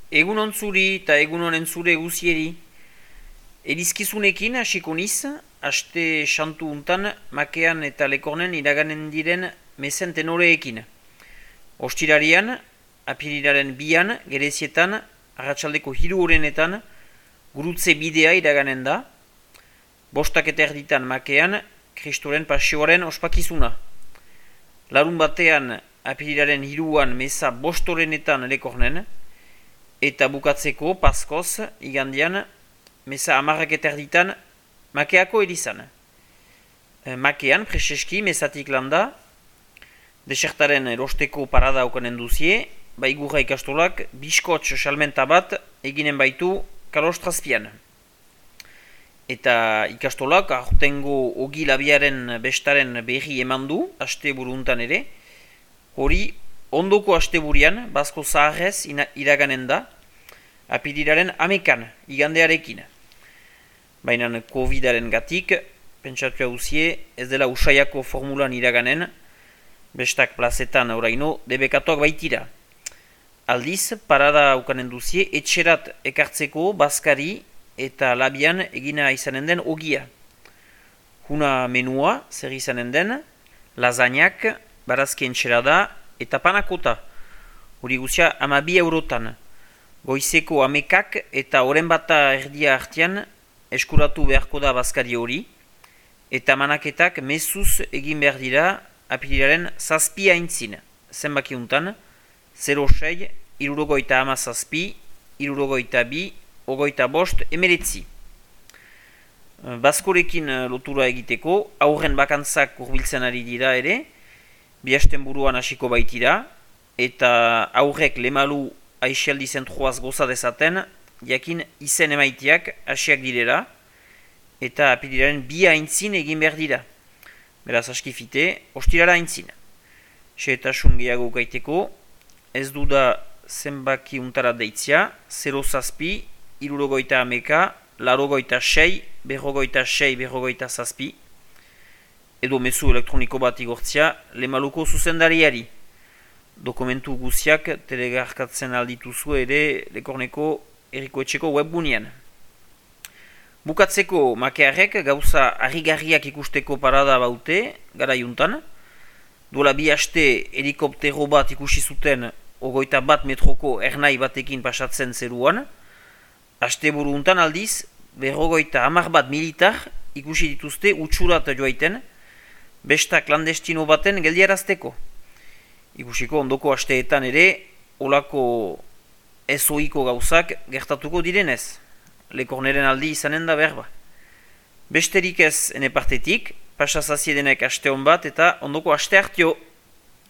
Egun ontzuri eta egun honen zure guzieri. Elizkizunekin hasiko niz, aste santu untan makean eta lekornen iraganen diren mezen tenoreekin. Ostirarian, apirilaren bian, gerezietan, arratsaldeko 3 gurutze bidea iraganen da. 5:30 makean, Kristoren pasioaren ospakizuna. Larun batean, apirilaren 3 meza 5 lekornen, eta bukatzeko, paskoz, igandian, meza 10:30 makeako elizan. Makean, preseski, mezatik landa, desertaren erosteko parada aukanen duzie, baigurra ikastolak, biskotx salmenta bat eginen baitu kalostrazpian. Eta ikastolak, aurtengo ogi labiaren bestaren berri eman du, aste buruntan ere, hori ondoko asteburian, bazko zaharrez iraganen da, apirilaren 11 igandearekin. Baina COVID-aren gatik, pentsatu hauzie, ez dela usaiako formulan iraganen, bestak plazetan oraino debekatuak baitira. Aldiz, parada aukanen duzie, etxerat ekartzeko bazkari eta labian egina izanen den ogia. Huna menua, zer izanen den, lasagnak, barazki entxerada eta panakota. Hori guzia 12 eurotan. Goizeko 11 eta oren bata erdia artean eskuratu beharko da bazkari hori, eta manaketak mezuz egin behar dira apirilaren 7 aintzin. Zenbaki untan, 06, 67, 62, 25, 19. Bazkorekin lotura egiteko, aurren bakantzak hurbiltzen ari dira ere, bihasten buruan hasiko baitira, eta aurrek lemalu aixialdi zentroaz goza dezaten, jakin izen emaitiak hasiak direla, eta apirilaren 2 aintzin egin behar dira. Beraz askifite, ostirala aintzin. Xehetasun gehiago gaiteko, ez du da zenbaki untara deitzia, 07, 69, 86, 46, 47, edo mezu elektroniko bat igortzia lemaluko zuzendariari. Dokumentu guziak telegarkatzen aldituzu ere lekorneko erikoetxeko webgunean. Bukatzeko makearrek gauza harrigarriak ikusteko parada baute, gara juntan. Duela 2 aste helikoptero bat ikusi zuten 21 metroko ernai batekin pasatzen zeruan. Aste buru untan aldiz, 51 militar ikusi dituzte utxurat joaiten, besta klandestino baten geldiarazteko. Ikusiko ondoko asteetan ere, olako ezoiko gauzak gertatuko direnez. Lekorneren aldi izanen da berba. Besterik ez ene partetik, pasazaziedenek aste hon bat eta ondoko aste hartio.